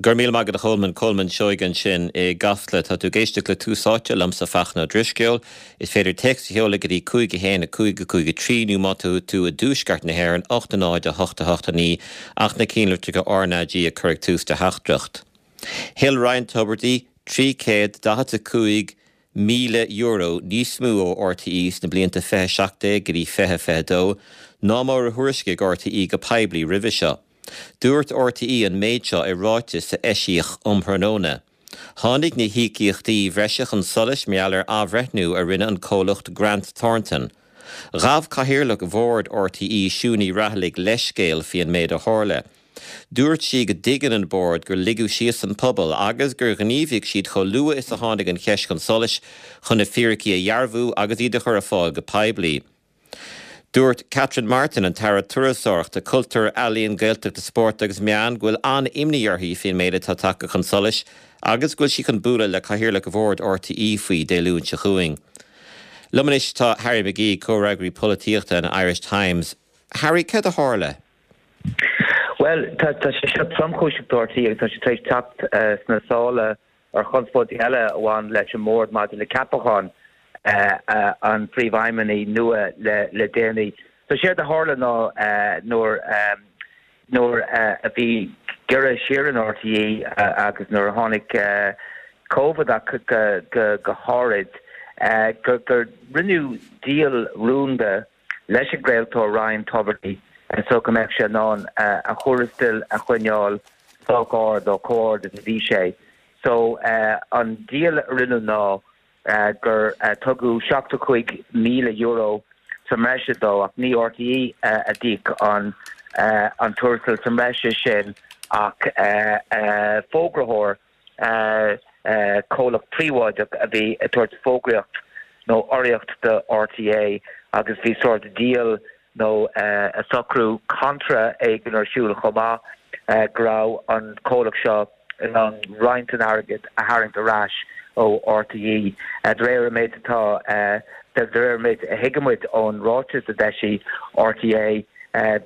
Go raibh míle maith agat a Cholmáin, Colmán Seoighe ansin i gCasla. Tá tú ag éisteacht le Tús Áite liomsa Fachtna Ó Drisceoil. Is féidir téacs a sheoladh go dtí 5 1 5 5 3 nó má tá tú i dtuaisceart na hÉireann, 8 0 8 8 9 ach na cinnlitreacha RnaG a chur ag tús do theachtaireacht. Thuill Ryan Tubridy €345,000 níos mó ó RTÉ sna blianta 2017 go dtí 2022 ná mar a thuairiscigh RTÉ go poiblí roimhe seo. Dúirt RTÉ an méid seo i ráiteas a eisíodh um thráthnóna. Tháinig na híocaíochtaí bhreise chun solais mar gheall ar athbhreithniú a rinne an comhlacht Grant Thornton. Ghabh Cathaoirleach Bhord RTÉ, Siún Ní Raghallaigh leithscéal faoi an méid a tharla. Dúirt sí go dtuigeann an Bord gur ligeadh síos an pobal agus gur ghníomhaigh siad chomh luath is a tháinig an cheist chun solais chun na fíricí a dhearbhú agus iad a chur ar fáil go poiblí. Dúirt Catherine Martin, an tAire Turasóireachta, Cultúir, Ealaíon, Gaeltachta, Spóirt agus Meán go bhfuil an-imní uirthi faoin méid atá tagtha chun solais agus go bhfuil sí chun bualadh le Cathaoirleach Bhord RTÉ faoi Dé Luain seo chugainn. Liom anois tá Harry McGee, comhfhreagraí polaitíochta an Irish Times. Harry, céard a tharla? Bhuel, tá sé seo tromchúiseach do RTÉ agus tá sé tar éis teacht sna sála ar chonspóidí eile a bhain leis an mbord maidir le ceapachán an phríomhfheidhmeannaigh nua le déanaí. So séard a tharla ná nuair nuair a bhí giorra siar in RTÉ agus nuair a tháinig Covid ach go háirid gur rinneadh díol rúnda leis an gcraoltóir Ryan Tubridy so go mbeadh sé in ann a thuarastal a choinneáil sách ard nó chomh ard is a bhí sé. So an díol a rinneadh ná gur tugadh €75,000 sa mbreise dó ach ní RTÉ a d'íoc an an tuarastal sa mbreise sin ach fógraitheoir comhlacht príobháideach a bhí ag tabhairt fógraíocht nó urraíocht do RTÉ agus bhí sórt díol nó socrú contra éigin ar siúl chomh maith go raibh an comhlacht seo in ann roinnt den airgead a tharraingt ar ais ó RTÉ. De réir an méid atá, de réir an méid a thuigimid ón ráiteas a d'eisigh RTÉ,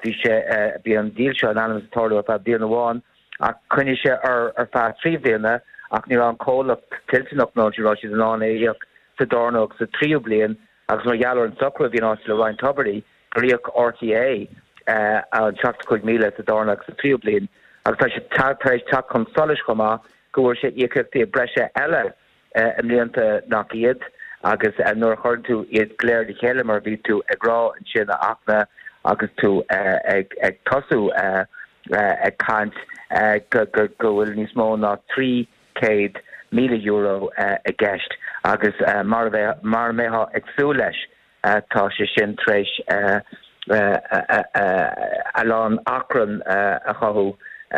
bhí sé, bhí an díol seo in ainm is tarlú ar feadh bliain amháin ach choinnigh sé ar ar feadh 3 bhliana ach ní raibh an comhlacht toilteanach nó ní raibh siad in ann é a íoc sa darna agus sa tríú bliain agus mar gheall ar an socrú a bhí in áit le Ryan Tubridy gur íoc RTÉ an 75,000 sa darna agus sa tríú bliain agus tá sé tar éis teacht chun solais chomh maith go bhfuair sé íocaíochtaí breise eile i mblianta nach iad agus nuair a chuireann tú iad go léir le chéile mar a bhí tú ag rá ansin a Fhachtna agus tú ag tosú ag caint go bhfuil níos mó ná €300,000 i gceist agus mar a mbeifeá ag súil leis Tá sé sin tar éis a lán achrann a chothú ó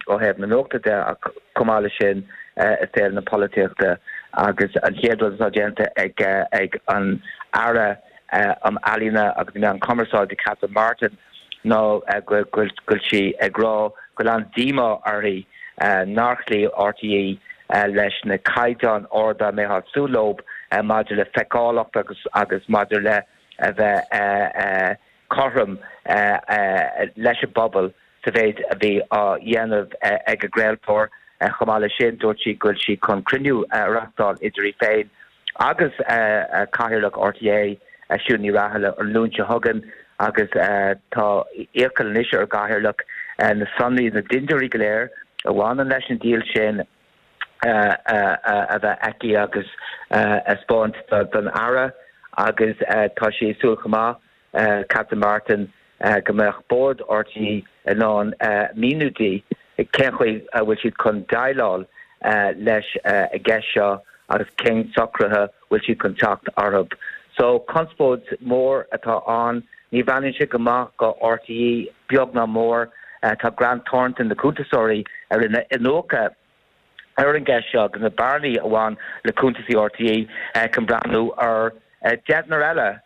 thaobh na nuachta de ach chomh maith leis sin i saol na polaitíochta agus an chéad rud atá déanta ag an Aire um Ealaíona agus na Meáin Chumarsáide, Catherine Martin, ná go bhfuil sí ag rá go bhfuil an-díomá uirthi nár chloígh RTÉ leis na caighdeáin arda a mbeifeá ag súil leo maidir le feiceálacht agus agus maidir le a bheith cothrom leis an bpobal sa mhéid a bhí á dhéanamh ag an gcraoltóir. Chomh maith leis sin, dúirt sí go bhfuil sí chun cruinniú a reachtáil idir í féin agus Cathaoirleach RTÉ, Siún Ní Raghallaigh, an Luan seo chugainn agus tá iachall anois ar an gCathaoirleach na sonraí, na dintiúirí go léir a bhaineann leis an díol sin a bheith aici agus a 'spáint don Aire agus tá sí ag súil chomh maith Catherine Martin, go mbeadh Bord RTÉ in ann míniú di cén chaoi a bhfuil siad chun déileáil leis an gceist seo agus cén socruithe bhfuil siad chun teacht orthu. So, conspóid mhór atá ann. Ní bhreathnaíonn sé go maith do RTÉ, beag ná mór. Tá Grant Thornton, na cuntasóirí a rinne iniúchadh ar an gceist seo agus na bearnaí a bhain le cuntasaí RTÉ, chun breathnú ar deichniúr eile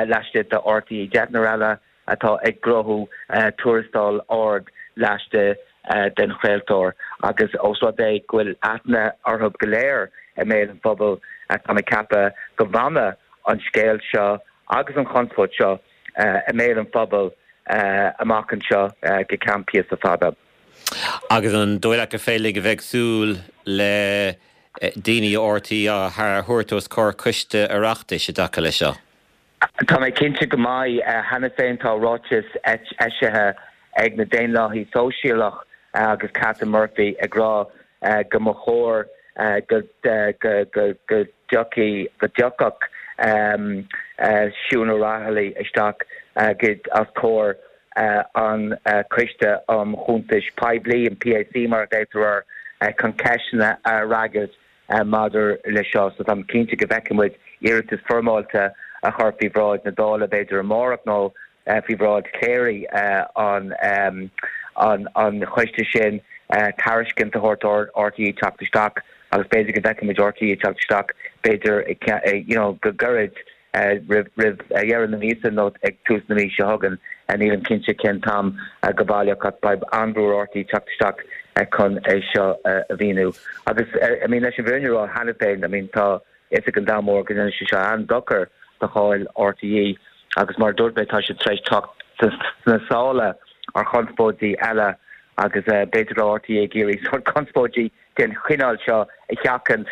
laistigh de RTÉ, deichniúr eile atá ag gnóthú tuarastal ard laistigh den chraoltóir agus ós rud é go bhfuil aithne orthu go léir i mbéal an phobail, tá mé ag ceapadh go bhfanfaidh an scéal seo agus an chonspóid seo i mbéal an phobail amach anseo go ceann píosa fada. Agus an dóigh leat gur féidir linn a bheith ag súil le daoine ó RTÉ á thabhairt os comhair coiste Oireachtais i dtaca leis seo? Tá mé cinnte go mbeidh. Cheana féin tá ráiteas eisithe ag na Daonlathaithe Sóisialach agus Catherine Murphy ag rá go mba chóir go dtiocfaidh, go dtiocfadh Siún O'Rahilly isteach os comhair an Coiste um Chuntais Poiblí, an PAC mar a ghlaotar air, chun ceisteanna a fhreagairt maidir leis seo. So táim cinnte go bhfeicfidh muid iarratas foirmeálta a chur faoi bhráid na Dála b'fhéidir amárach nó faoi bhráid chléirigh an choiste sin, tairiscint a thabhairt d'RTÉ teacht isteach agus b'fhéidir go bhfeicfidh muid RTÉ ag teacht isteach b'fhéidir you know go gairid roimh dheireadh na míosa nó ag tús na míosa seo chugainn. Nílim cinnte cén t-am go baileach ach beidh an-bhrú ar RTÉ teacht isteach chun é seo a mhíniú. Agus I mean leis an bhfírinne a rá cheana féin, I mean tá fhios ag an domhan mór go ndéanann sé seo an-dochar do cháil RTÉ agus mar a dúirt mé tá siad tar éis teacht sna sála ar chonspóidí eile agus b'fhéidir go raibh RTÉ ag iarraidh sórt conspóidí den chineál seo a sheachaint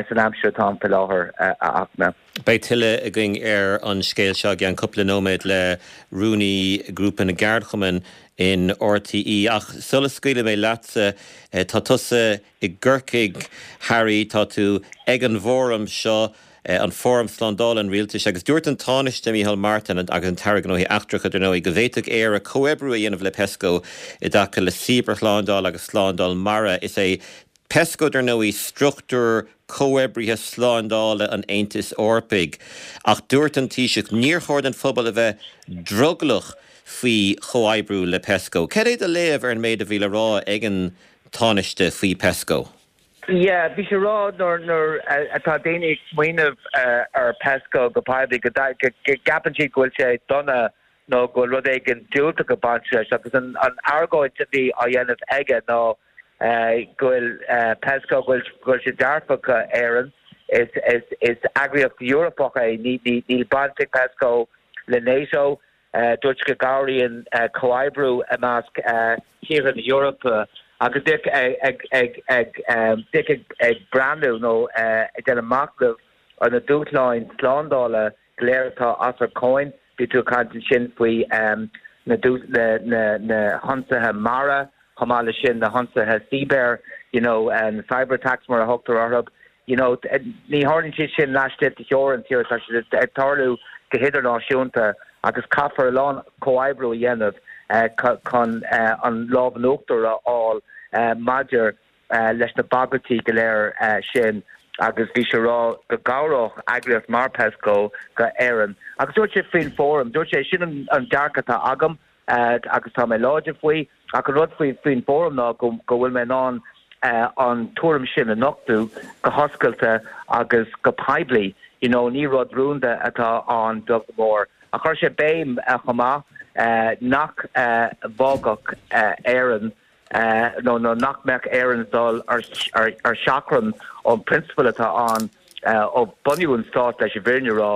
san aimsir atá ann faoi láthair, a Fhachtna. Beidh tuilleadh againn ar an scéal seo i gceann cúpla nóiméad le Rúnaí Ghrúpa na gCeardchumann in RTÉ. Ach sula scaoilfidh mé leatsa, tá tusa i gCorcaigh, Harry, tá tú ag an bhfóram seo, an Fóram Slándála an Rialtais, agus dúirt an Tánaiste Micheál Martin agus an tAire Gnóthaí Eachtracha, dar ndóigh, go bhféadfadh Éire comhoibriú a dhéanamh le Pesco i dtaca le cibearshlándáil agus slándáil mara. Is é Pesco, dar ndóigh, struchtúr comhoibrithe slándála an Aontais Eorpaigh. Ach dúirt an Taoiseach, níor chóir don phobal a bheith drogallach faoi chomhoibriú le Pesco. Cad é do léamh ar an méid a bhí le rá ag an Tánaiste faoi Pesco? Yeah, bhí sé ag rá nuair nuair atá daoine ag smaoineamh ar Pesco go poiblí go gceapann siad go bhfuil sé dona nó go bhfuil rud éigin diúltach ag baint leis agus an argóint a bhí á dhéanamh aige ná go bhfuil Pesco, go bhfuil sé dearfach do Éirinn, is is eagraíocht Eorpach é, níl baint ag Pesco le NATO. Dúirt sé go gcabhraíonn comhoibriú i measc tíortha na hEorpa agus bheadh ag breathnú nó ag déanamh machnaimh ar na dúshláin slándála go léir atá os ár gcomhair. Bhí tú ag caint ansin faoi na hionsaithe mara, Chomh maith leis sin, na hionsaithe cíbear, you know, na cyber attacks mar a thugtar orthu, you know, ní tharlaíonn siad sin laistigh de theorainn tíre, tá siad ag tarlú go hidirnáisiúnta agus caithfear a lán comhoibriú a dhéanamh chun an lámh in uachtar a fháil maidir leis na bagairtí go léir sin agus bhí sé ag rá go gcabhródh eagraíocht mar Pesco go Éirinn. Agus dúirt sé faoin bhfóram, dúirt sé, sin an dearcadh atá agam, agus tá mé láidir faoi, ach an rud faoi faoin bhfóram ná go go bhfuil mé in ann an tuairim sin a nochtadh go hoscailte agus go poiblí, you know, ní rud rúnda atá ann beag nó mór. Ach chuir sé béim chomh maith nach bhfágfadh Éirinn nó nó nach mbeadh Éirinn ag dul ar seachrán ón bprionsabal atá ann ó bunú an stáit, leis an bhfírinne a rá,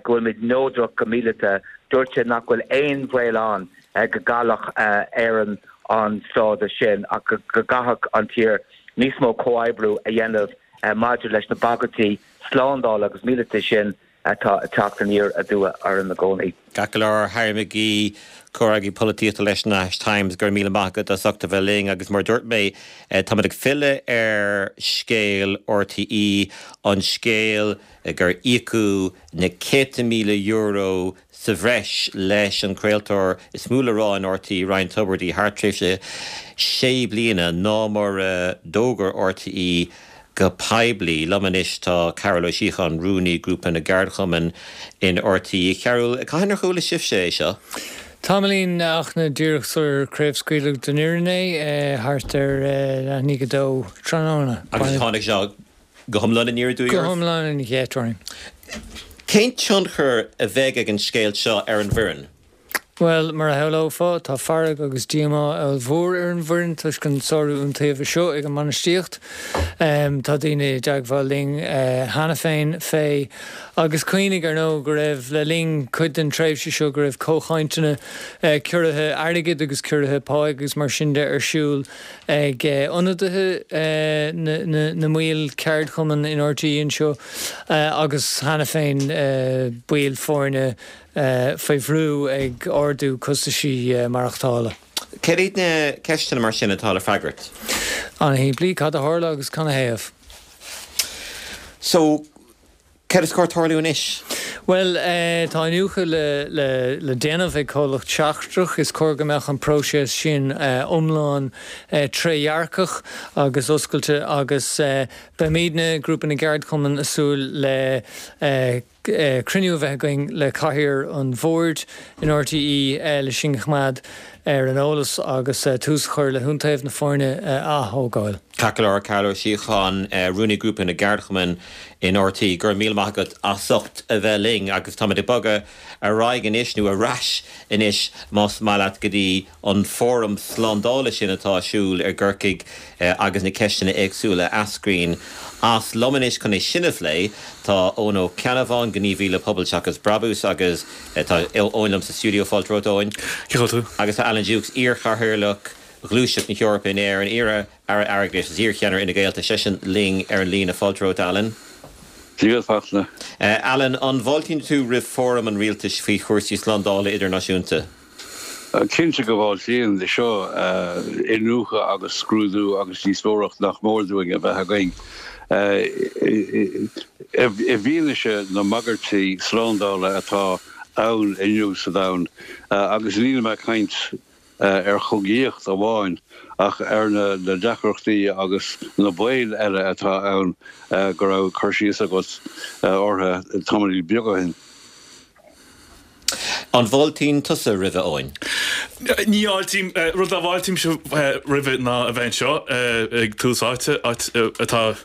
go bhfuilimid neodrach go míleata. Dúirt sé nach bhfuil aon bhaol ann go gcaillfeadh Éirinn an stádas sin ach go gcaithfeadh an tír níos mó comhoibriú a dhéanamh maidir leis na bagairtí slándála agus míleata sin atá ag teacht aniar aduaidh orainn i gcónaí. Ceart go leor, Harry McGee, Comhfhreagraí Polaitíochta leis an Irish Times, go raibh míle maith agat as ucht a bheith linn agus mar a dúirt mé, táimid ag filleadh ar scéal RTÉ, an scéal gur íocadh na céadta míle euro sa bhreis leis an chraoltóir is mó le rá in RTÉ, Ryan Tubridy, thar tréimhse sé bliana ná mar a d'fhógair RTÉ go poiblí. Liom anois tá Cearbhall Ó Síocháin, Rúnaí Grúpa na gCeardchumann in RTÉ. A Chearbhaill, cathain ar chuala sibhse é seo? Tamaillín Fhachtna díreach sular craobhscaoileadh don fhoireann é, thart ar leath i ndiaidh a dó tráthnóna. Agus tháinig sé go hiomlán aniar aduaidh oraibh? Go hiomlán ina cheart orainn. Cén tionchar a bheidh ag an scéal seo ar an bhfoireann? Bhuel, mar a shamhlófá, tá fearg agus díomá ollmhór ar an bhfoireann toisc an sárú iontaoibhe seo ag an mbainistíocht. Tá daoine i dteagmháil linn cheana féin fé. Agus cuimhnigh, ar ndóigh, go raibh, le linn cuid den tréimhse seo, go raibh comhchainteanna ciorruithe airgid agus ciorruithe páigh agus mar sin de ar siúl ag ionadaithe na mbaill ceardchumann in RTÉ anseo agus cheana féin baill foirne faoi bhrú ag ardú costaisí maireachtála. Céard iad na ceisteanna mar sin atá le freagairt? An-shimplí, cad a tharla agus canathaobh? So, céard is cóir tarlú anois? Bhuel, tá iniúchadh le déanamh ag comhlacht seachtrach. Is cóir go mbeadh an próiseas sin iomlán trédhearcach agus oscailte agus beimidne, Grúpa na gCeardchumann, ag súil le cruinniú a bheith againn le cathaoir an bhoird in RTÉ le sinn a choimeád ar an eolas agus tús a chur le hiontaobh na foirne a ath-thógáil. Ceart go leor, Cearbhall Ó Síocháin, Rúnaí Grúpa na gCeardchumann in RTÉ, go raibh míle maith agat as ucht a bheith linn agus táimid ag bogadh ar aghaidh anois, nó ar ais anois más maith leat, go dtí an fóram slándála sin atá ar siúl i gCorcaigh agus na ceisteanna éagsúla a eascraíonn as. Liom anois chun é sin a phlé tá Eoin Ó Ceannabháin, gníomhaí le Pobal Seachas Brabús agus tá Eoin liom sa stiúideo. Fáilte romhat, Eoin. Cén chaoi a bhfuil tú? Agus tá Alan Dukes, iar-chathaoirleach Ghluaiseacht na hEorpa in Éirinn, iar-Aire Airgeadais agus iar-cheannaire Fhine Gael, tá seisean linn ar an líne. Fáilte romhat, Alan. Dia duit, Fachtna. Alan, an bhfáiltíonn tú roimh fóram an rialtais faoi chúrsaí slándála idirnáisiúnta? Cinnte go bhfáiltím. Seo iniúchadh agus scrúdú agus díospóireacht nach mór dúinn a bheith againn i bhfianaise na mbagairtí slándála atá ann inniu sa domhan. Agus nílim ag caint ar chogaíocht amháin ach ar na deacrachtaí agus na baoil eile atá ann go raibh cur síos agat orthu tamaillín beag ó shin. An bhfáiltíonn tusa roimhe, Eoin? Ní fháiltím. Rud dá bhfáiltímse roimhe ná a bheith anseo ag Tús Áite, áit atá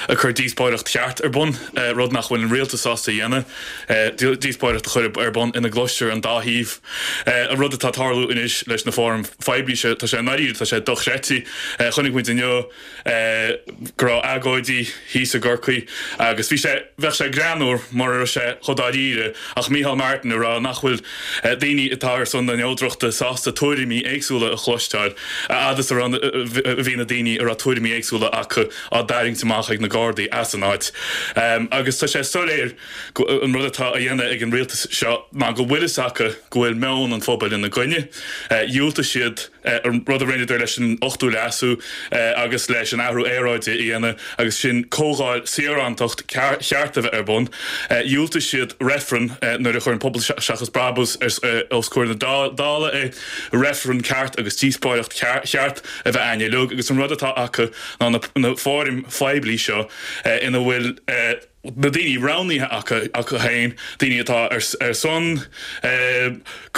ag cur díospóireacht cheart ar bun, rud nach bhfuil an rialtas sásta a dhéanamh, díospóireacht a chur ar bun ina gcloistear an dá thaobh. An rud atá ag tarlú anois leis na fóraim phoiblí seo, tá sé i ndáiríre, tá sé dochreidte. Chonaic muid inniu go raibh agóidí thíos i gCorcaigh agus bhí sé, bheadh sé greannmhar mura raibh sé chomh dáiríre ach Micheál Martin ag rá nach bhfuil daoine atá ar son na neodrachta sásta tuairimí éagsúla a chloisteáil a fhad is a raibh, a bhí na daoine a raibh tuairimí éagsúla acu á dtarraingt amach ag na Gardaí as an áit. Agus tá sé soiléir go an rud atá á dhéanamh ag an rialtas seo ná go bhfuil fhios acu go bhfuil meon an phobail ina gcoinne. Dhiúltaigh siad an rud a rinneadar leis an Ochtú Leasú agus leis an athrú aeráide a dhéanamh agus sin comhdháil saorántacht cheart a bheith ar bun. Dhiúltaigh siad reifreann nuair a chuir an Pobal Seachas Brabús os comhair na Dála é, reifreann ceart agus díospóireacht cheart a bheith againn uilig agus an rud atá acu ná na fóraim phoiblí seo ina bhfuil na daoine roghnaithe acu acu féin, daoine atá ar son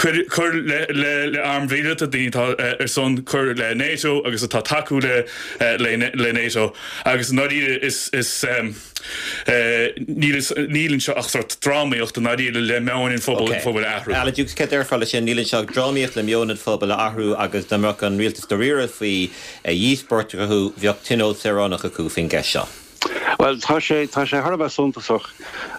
cur le airm mhíleata, daoine atá ar son cur le NATO agus atá tacú le le NATO agus i ndáiríre is is níl níl anseo ach sórt drámaíocht i ndáiríre le meon an phobail an phobail a athrú. Alan Dukes, céard a déarfá leis sin? Níl anseo ach drámaíocht le meon an phobail a athrú agus dá mbeadh an rialtas dáiríre faoi dhíospóireacht a chruthú bheadh tionól saoránach acu faoin gceist seo. Bhuel, tá sé, tá sé thar a bheith suntasach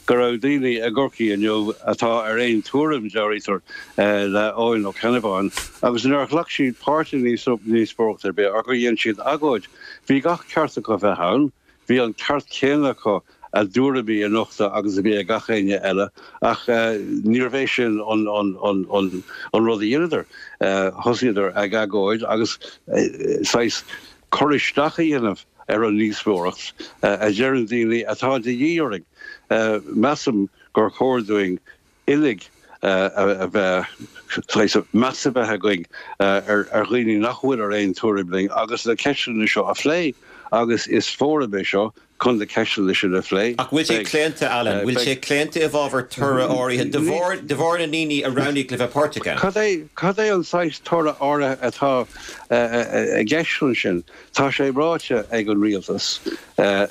go raibh daoine i gCorcaigh inniu atá ar aon tuairim, dealraítear, le Eoin Ó Ceannabháin agus nár ghlac siad páirt i ndíospóireacht ar bith ach gur dhein siad agóid. Bhí gach ceart acu bheith ann, bhí an ceart céanna acu a dtuairimí a nochtadh agus a bhí ag gach éinne eile ach níorbh é sin an rud a dheineadar. Thosaíodar ag agóid agus saghas cur isteach a dhéanamh ar an ndíospóireacht a deireann daoine atá de dhíth orainn. Measaim gur chóir dúinn uilig a bheith, saghas meas a bheith againn ar dhaoine nach bhfuil ar aon tuairim linn agus na ceisteanna seo a phlé agus is fóram é seo chun na ceisteanna sin a phlé. Ach bhfuil sé claonta, Alan, bhfuil sé claonta i bhfabhar toradh áirithe de bharr, de bharr na ndaoine a roghnaíodh le bheith páirteach ann? Cad é, cad é an saghas toradh áirithe atá i gceist ansin? Tá sé ráite ag an rialtas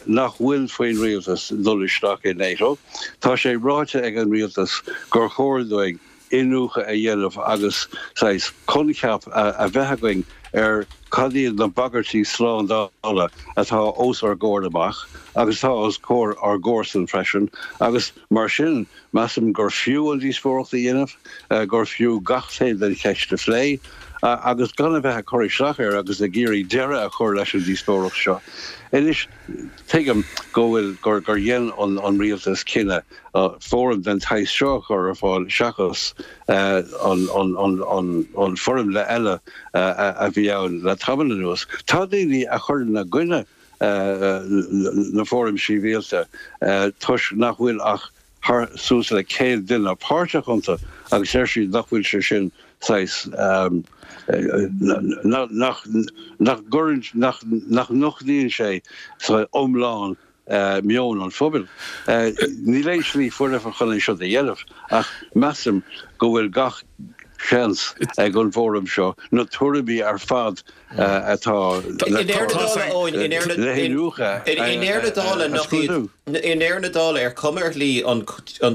nach bhfuil faoin rialtas dul isteach i NATO. Tá sé ráite ag an rialtas gur chóir dúinn. iniúchadh a dhéanamh agus saghas coincheap a bheith againn ar cad iad na bagairtí slándála atá os ár gcomhair amach agus atá os comhair ár gcomharsan freisin agus mar sin measaim gur fiú an díospóireacht a dhéanamh, gur fiú gach taobh den cheist a phlé agus gan a bheith ag cur isteach air agus ag iarraidh deireadh a chur leis an díospóireacht seo. Anois, tuigim go bhfuil, gur dhein an rialtas cinneadh fóram den tsaghas seo a chur ar fáil seachas an foirmle eile a bhí ann le tamall anuas. Tá daoine a chuireann i gcoinne na fóraim sibhialta toisc nach bhfuil ach thar suas le 100 duine páirteach iontu agus deir siad nach bhfuil sé sin saghas nach nach gcuireann nach nach nochtaíonn sé iomlán meon an phobail. Níl aon slí foirfe chun é seo a dhéanamh ach measaim go bhfuil gach seans ag an bhfóram seo na tuairimí ar fad atá le le hiniúchadh a scrúdú. I ndeireadh na dála, ar chuma ar shlí an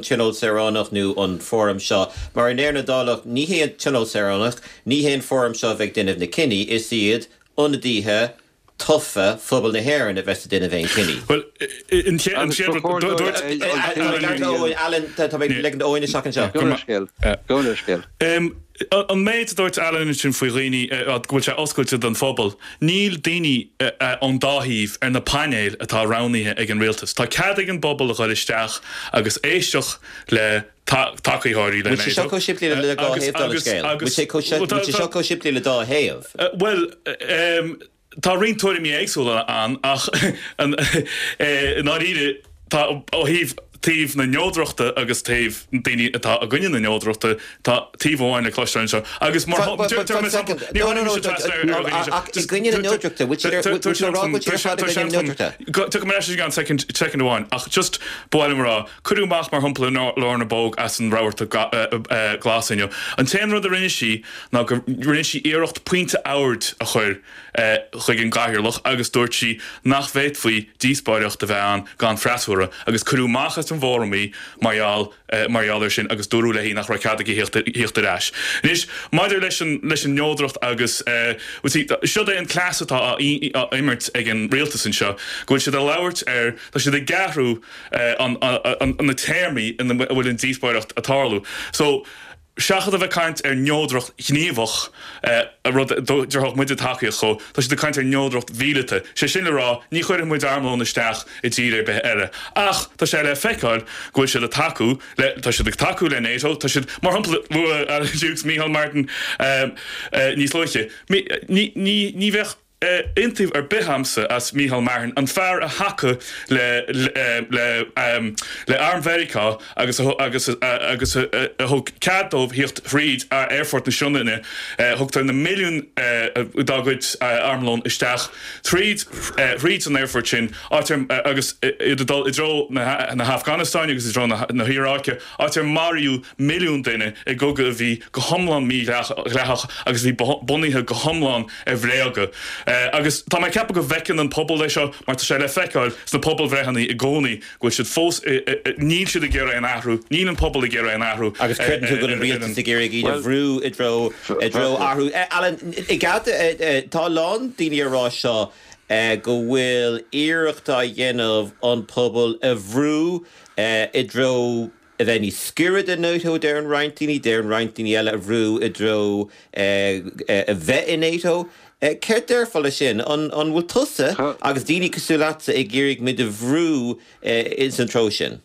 Tionól Saoránach nó an fóram seo, mar i ndeireadh na dála ní hé an Tionól Saoránach, ní hé an fóram seo a bheidh ag déanamh na cinní, is iad ionadaithe tofa phobal na hÉireann a bheas ag déanamh aon chinní. Bhuel, an chéad rud, dúirt. Alan, tá mé ag ligean d'Eoin isteach anseo. Gabh mo leithscéal. Gabh mo leithscéal. An méid a dúirt Alan ansin faoi dhaoine, go bhfuil sé oscailte don phobal, níl daoine ón dá thaobh ar na painéil atá roghnaithe ag an rialtas. Tá cead ag an bpobal a dhul isteach agus éisteacht le tacaitheoirí le Bhfuil sé seo chomh simplí le dhá thaobh den scéal? Bhfuil sé seo chomh simplí le dá thaobh? Bhuel, tá roinnt tuairimí éagsúla ann ach i ndáiríre tá ó thaobh taobh na neodrachta agus taobh daoine atá i gcoinne na neodrachta, tá taobh amháin le cloisteáil anseo. Agus mar I gcoinne na neodrachta, bhfuil tú ag rá go bhfuil siad ar fad i gcoinne na neodrachta? Tiocfaidh mé ar ais i gceann soicind amháin ach just ba mhaith liom a rá, Cuireadh amach mar shampla Lorna Bogue as an Rabharta Glas inniu. An t-aon rud a rinne sí ná go rinne sí iarracht pointe oird a chur chuig an gcathaoirleach agus dúirt sí nach bhféadfaí díospóireacht a bheith ann gan freasúra agus cuireadh amach as an bhfóram í mar gheall mar gheall air sin agus dúradh léi nach raibh cead aici thíocht ar ais. Anois, maidir leis an leis an neodracht agus siod é an cleas atá á imirt ag an rialtas anseo, go bhfuil siad ag labhairt ar, tá siad ag athrú na téarmaí ina bhfuil an díospóireacht ag tarlú. So, seachas a bheith ag caint ar neodracht ghníomhach, rud a dtabharfadh muide tacaíocht dhó, tá siad ag caint ar neodracht mhíleata. Sé sin le rá, ní chuirfidh muid armlón isteach i dtír ar bith eile. Ach tá sé le feiceáil go bhfuil siad ag tacú le, tá siad ag tacú le NATO, tá siad, mar shampla, luaigh Alan Dukes Micheál Martin níos luaithe, ní, ní, ní bheadh, Iontaoibh ar bith a'msa as Micheál Martin, an fear a thacaigh le le le arm Mheiriceá agus a agus agus a thug cead dóibh thíocht thríd aerfort na Sionainne. Thugtar na milliúin dá gcuid armlón isteach tríd thríd an aerfort sin, áit ar agus iad ag dul i dtreo na na hAfganastáine agus i dtreo na na hIaráice, áit ar maraíodh milliún duine i gcogadh a bhí go hiomlán mídhleathach agus a bhí bunaithe go hiomlán ar bhréaga. Agus tá mé ag ceapadh go bhfeiceann an pobal é seo mar tá sé le feiceáil sna pobalbhreitheanna i gcónaí go bhfuil siad fós, níl siad ag iarraidh aon athrú, níl an pobal ag iarraidh aon athrú. Agus creideann tú go bhfuil an rialtas ag iarraidh iad a bhrú i dtreo, i dtreo athrú. Alan, i gcead, tá a lán daoine ag rá seo go bhfuil iarracht á dhéanamh an pobal a bhrú i dtreo a bheith níos giorra do NATO, deireann roinnt daoine, deireann roinnt daoine eile a bhrú i dtreo a bheith i NATO. Céard déarfá leis sin? An bhfuil tusa agus daoine cosúil leatsa ag iarraidh muid a bhrú ins an treo sin?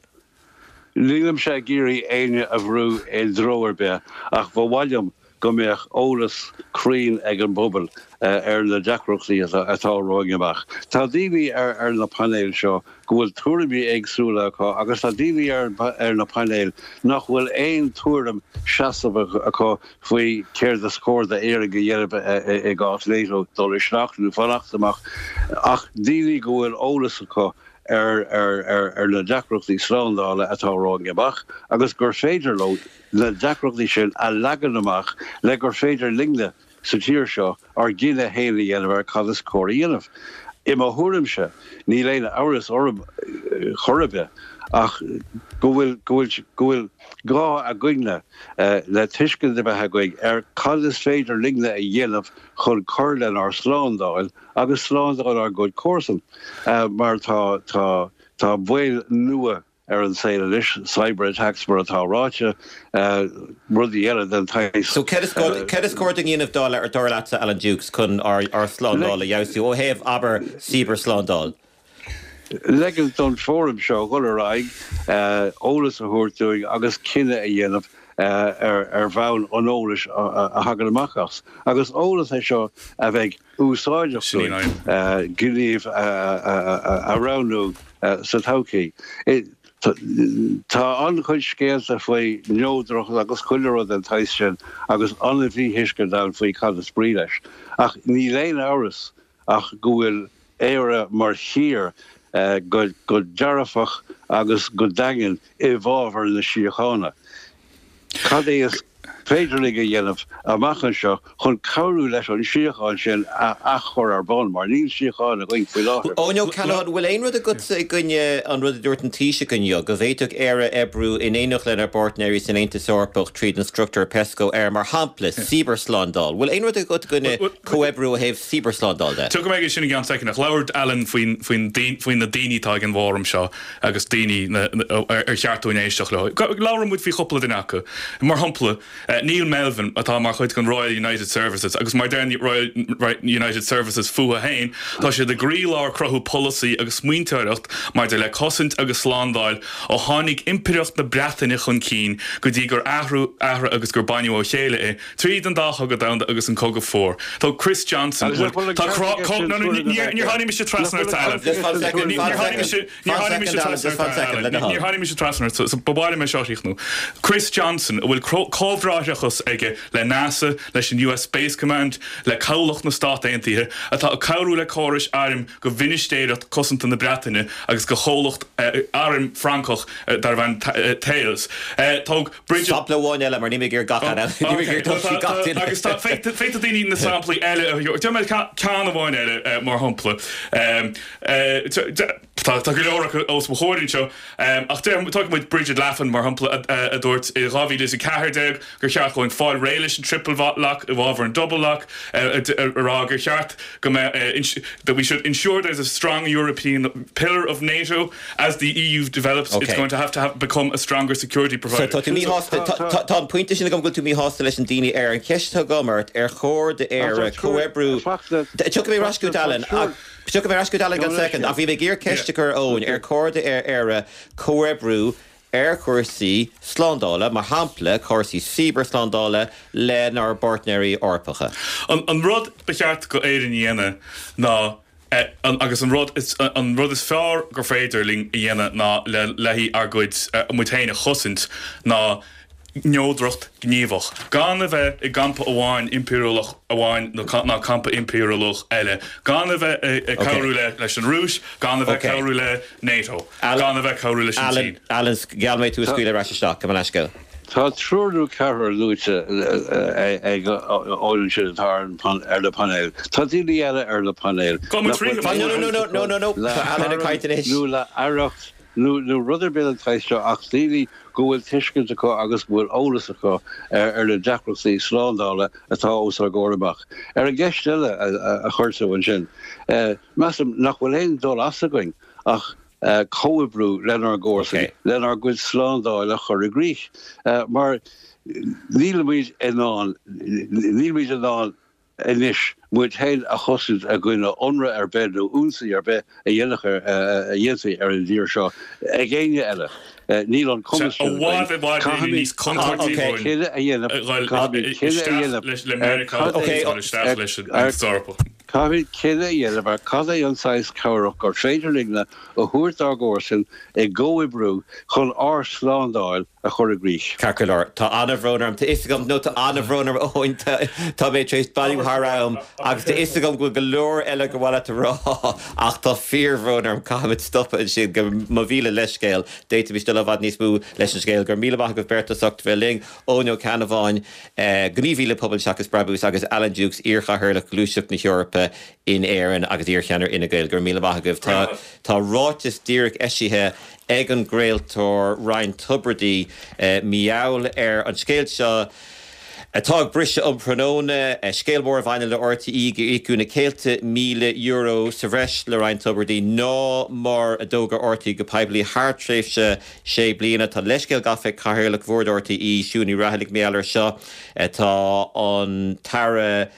Nílimse ag iarraidh éinne a bhrú i dtreo ar bith ach ba mhaith liom go mbeadh eolas cruinn ag an bpobal ar na deacrachtaí atá romhainn amach. Tá daoine ar na painéil seo go bhfuil tuairimí éagsúla acu agus tá daoine ar na painéil nach bhfuil aon tuairim seasamh acu faoi céard is cóir d'Éirinn a dhéanamh i gcás NATO, dul isteach nó fanacht amach, ach daoine go bhfuil eolas acu ar na deacrachtaí slándála atá romhainn amach agus gur féidir leo na deacrachtaí sin a leagan amach le gur féidir linne sa tír seo ár gcinneadh féin a dhéanamh ar cad is cóir a dhéanamh. I mo thuairimse, níl aon amhras orm chor ar bith. Ach go bhfuil, go bhfuil, go bhfuil gá againne le tuiscint a bheith againn ar cad is féidir linne a dhéanamh chun cur lenár slándáil agus slándáil ár gcuid comharsan. Mar tá, tá, tá baol nua ar an saol anois, cyber attacks mar atá ráite, rudaí eile den tsaghas. So céard is céard is cóir dúinn a dhéanamh dar dar leatsa Alan Dukes chun ár ár slándáil a fheabhsú ó thaobh, abair, cibearshlándáil? Ligint don fóram seo dhul ar aghaidh, eolas a thabhairt dúinn agus cinneadh a dhéanamh ar ar bhonn an eolais a thagann amach as. Agus eolas é seo a bheidh úsáideach dúinn gníomh a roghnú sa todhchaí. Tá an-chuid scéalta faoi neodracht agus chuile rud den tsaghas sin agus an-mhíthuiscint ann faoi cad is brí leis. Ach níl aon amhras ach go bhfuil Éire mar thír go dearfach agus go daingean i bhfabhar na síochána. Cad é is féidir linn a dhéanamh amach anseo chun cabhrú leis an síocháin sin a athchur ar bun, mar níl síocháin againn faoi láthair. Eoin Ó Ceannabháin, bhfuil aon rud agatsa i gcoinne an rud a dúirt an Taoiseach inniu, go bhféadfadh Éire oibriú in éineacht lenár bpáirtnéirí san Aontas Eorpach tríd an struchtúr Pesco ar, mar shampla, cibearshlándáil? Bhfuil aon rud agat i gcoinne comhoibriú ó thaobh cibearshlándáil de? Tiocfaidh mé aige sin i gceann soicind, ach labhair Alan faoin faoi na daoine atá ag an bhfóram seo. agus daoine ar cheart dúinn éisteacht leo. Labhróidh muid faoi chúpla duine acu. Mar shampla, Neil Melvin, atá mar chuid den Royal United Services, agus mar a deir Royal United Services fúthu féin, tá siad i gcroílár cruthú polasaí agus smaointeoireacht maidir le cosaint agus slándáil ó tháinig Impireacht na Breataine chun cinn go dtí gur athrú agus gur baineadh ó chéile é tríd an dá chogadh domhanda agus an Cogadh Fuar. Tá Chris Johnson, bhuel, tá crá, có, no, no, níor, níor tháinig mise trasna ort, Alan. Níor tháinig mise, níor tháinig mise trasna ort, Alan. Níor tháinig mise trasna ort, so ba mhaith liom é seo a chríochnú. Chris Johnson, a bhfuil comhbhráithreachas aige le NASA, leis an US Space Command, le Cabhlach na Stát Aontaithe, atá ag cabhrú le córais airm go Mhinistéireacht Cosanta na Breataine agus go chomhlacht airm Francach darbh ainm Thales. Tóg. Bridget. Sampla amháin eile, mar níl mé ag iarraidh gach eile, níl mé ag iarraidh dul trí gach duine. Agus tá, féadfaidh daoine na samplaí eile a thabhairt. Déarfaidh mé ceann amháin eile, mar shampla. Tá go leor acu os mo chomhair anseo, ach tógfaidh muid Brigid Laffan, mar shampla, a dúirt i 2014 gur cheart dhúinn fáil réidh leis an triple lock i bhfabhar an double lock, a rá gur cheart go mbeadh, that we should ensure there's a strong European pillar of NATO. As the EU develops, it's going to have to have become a stronger security provider. So tá tú míshásta, tá an pointe sin agam go bhfuil tú míshásta leis an daoine ar an cheist atá agam ort, ar chóir d'Éire comhoibriú, tiocfaidh mé ar ais chugat Alan, tiocfaidh mé ar ais chugat Alan i gceann soicind, ach bhí mé ag iarraidh ceist a chur ar Eoin, ar chóir d'Éire comhoibriú ar chúrsaí slándála, mar shampla cúrsaí cibearshlándála lenár bpáirtnéirí Eorpacha? An rud ba cheart go Éirinn a dhéanamh ná Agus an rud is an rud is fearr gur féidir linn a dhéanamh ná le le haghaidh ár gcuid muid féin a chosaint ná neodracht ghníomhach. Gan a bheith i gcampa amháin impiriúlach amháin ná campa impiriúlach eile. Gan a bheith ag cabhrú le leis an Rúis, gan a bheith ag cabhrú le NATO, gan a bheith ag cabhrú leis an tSín. Alan, gheall mé tú a scaoileadh ar ais isteach. Gabh mo leithscéal. Tá triúr nó ceathrar luaite ag Eoin ansin atá ar na painéil. Tá daoine eile ar na painéil nach bhfuil aon baint acu nó le haireacht nó rud ar bith den tsaghas seo ach daoine go bhfuil tuiscint acu agus go bhfuil eolas acu ar na deacrachtaí slándála atá os ár gcomhair amach. Ar an gceist eile a chuir tú ansin, measaim nach bhfuil aon dul as againn ach comhoibriú lenár gcomharsain lenár gcuid slándáil a chur i gcrích mar nílimid in ann, nílimid in ann anois muid féin a chosaint i gcoinne ionradh ar bith nó ionsaí ar bith a dhéanfaí ar an dtír seo ag éinne eile. Níl an cumas sin againn. Caithfimid cinneadh a dhéanamh, caithfimid cinneadh a dhéanamh ar cad é, Caithfimid cinneadh a dhéanamh ar cad é an saghas cabhrach gur féidir linne a thabhairt dár gcomharsain i gcomhoibriú chun ár slándáil a chur i gcrích. Ceart go leor. Tá an-bhrón orm. Tá fhios agam, nó tá an-bhrón orm, Eoin, tá mé tar éis bailiú thar am agus tá fhios agam go bhfuil go leor eile gur mhaith leat a rá ach tá fíorbhrón orm, caithfimid stopadh ansin. Go mo mhíle leithscéal. D'fhéadfaimis dul i bhfad níos mó leis an scéal. Go raibh míle maith agaibh beirt as ucht bheith linn. Eoin Ó Ceannabháin, gníomhaí le Pobal Seachas Brabús agus Alan Dukes, iar-chathaoirleach Ghluaiseacht na hEorpa. Eorpa in Éirinn agus iarcheannaire Fhine Gael. Go raibh míle maith agaibh. Tá tá ráiteas díreach eisithe ag an gcraoltóir Ryan Tubridy mar gheall ar an scéal seo atá ag briseadh um thráthnóna, scéal mór a bhaineann le RTÉ gur íocadh na céadta míle euro sa bhreis le Ryan Tubridy ná mar a d'fhógair RTÉ go poiblí thar tréimhse sé bliana. Tá leithscéal gafa ag Cathaoirleach Bhord RTÉ, Siún Ní Raghallaigh, mar gheall air seo. Tá an tAire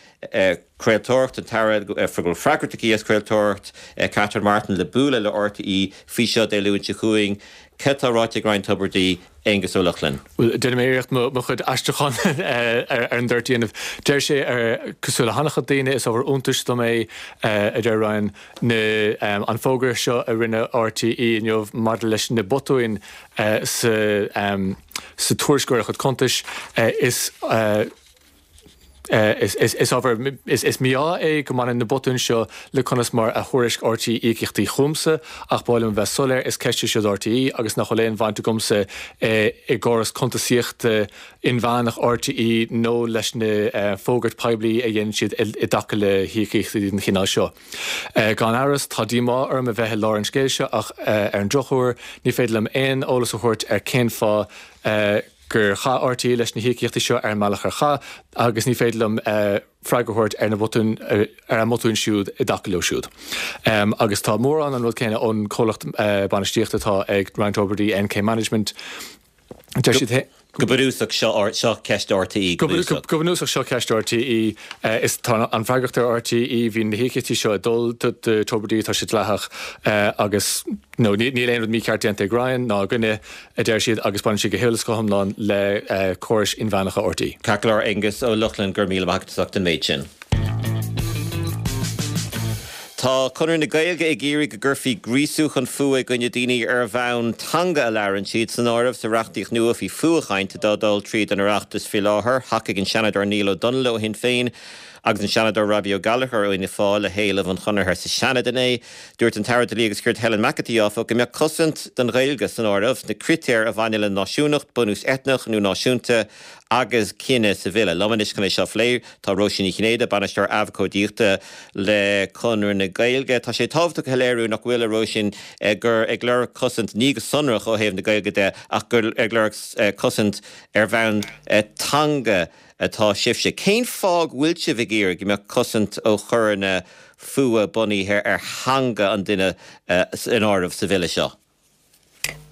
Craoltóireachta, an tAire go bhfuil freagracht aici as craoltóireacht, Catherine Martin, le bualadh le RTÉ faoi seo Dé Luain seo chugainn. Cad tá ráite ag Ryan Tubridy, Aengus Ó Lochlainn? Bhuel, déanfaidh mé iarracht mo chuid aistriúchán ar an dtoirt a dhéanamh. Deir sé, cosúil le han-chuid daoine, is ábhar iontais dom é, a deir Ryan, na, an fógra seo a rinne RTÉ inniu maidir leis na botúin sa, sa tuairisceoireacht cuntais. Is. Is ábhar, is mí-ádh é go mbaineann na botúin seo le conas mar a thuairisc RTÉ íocaíochtaí chugamsa, ach ba mhaith liom a bheith soiléir, is ceist í seo do RTÉ agus nach bhfuil aon bhaint agamsa i gcóras cuntasaíochta inmheánach RTÉ nó leis na fógairt poiblí a dhéanann siad i dtaca le híocaíochtaí den chineál seo. Gan amhras, tá díomá orm a bheith i lár an scéil seo ach ar an drochuair, ní féidir liom aon eolas a thabhairt ar cén fáth gur chaith RTÉ leis na híocaíochtaí seo ar an mbealach ar chaith agus ní féidir liom freagra a thabhairt ar na botúin, ar a mbotúin siúd i dtaca leo siúd. Agus tá mórán an rud céanna ón comhlacht bainistíochta atá ag Ryan Tubridy, NK Management. Deir siad féin. Go bunúsach, seo, seo ceist RTÉ, go bunúsach. Go bunúsach, seo ceist RTÉ. Is tá an fhreagracht ar RTÉ. Bhí na híocaíochtaí seo ag dul do Tubridy, tá sé dleathach agus nó níl aon rud mícheart déanta ag Ryan ná againne. a deir siad, agus baineann sé go huile is go hiomlán le córais inmheánacha RTÉ. Ceart go leor, Aengus Ó Lochlainn, go raibh míle maith agat as ucht an méid sin. Tá Conradh na Gaeilge ag iarraidh go gcuirfí gríosú chun fuath i gcoinne daoine ar bhonn teanga a labhrann siad san áireamh sa reachtaíocht nua faoi fuathchaint atá ag dul tríd an Oireachtas faoi láthair. Thacaigh an Seanadóir Niall Ó Donnghaile ó Shinn Féin agus an Seanadóir Robbie Ó Gallchóir ó Fhianna Fáil le héileamh an Chonartha sa Seanad inné. Dúirt an tAire Dlí agus Cirt Helen McEntee, áfach, go mbeadh cosaint don Ghaeilge san áireamh sna critéir a bhaineann le náisiúnacht, bunús eitneach nó náisiúnta agus cine sa bhille. Liom anois chun é seo a phlé tá Róisín Ní Chinnéide, Bainisteoir Abhcóideachta le Conradh na Gaeilge. Tá sé tábhachtach a shoiléiriú, nach bhfuil, a Róisín, gur ag lorg cosaint ní go sonrach ó thaobh na Gaeilge de ach gur ag lorg cosaint ar bhonn teanga atá sibhse. Cén fáth go bhfuil sibh ag iarraidh go mbeadh cosaint ó choireanna fuatha bunaithe ar theanga an duine san áireamh sa bhille seo?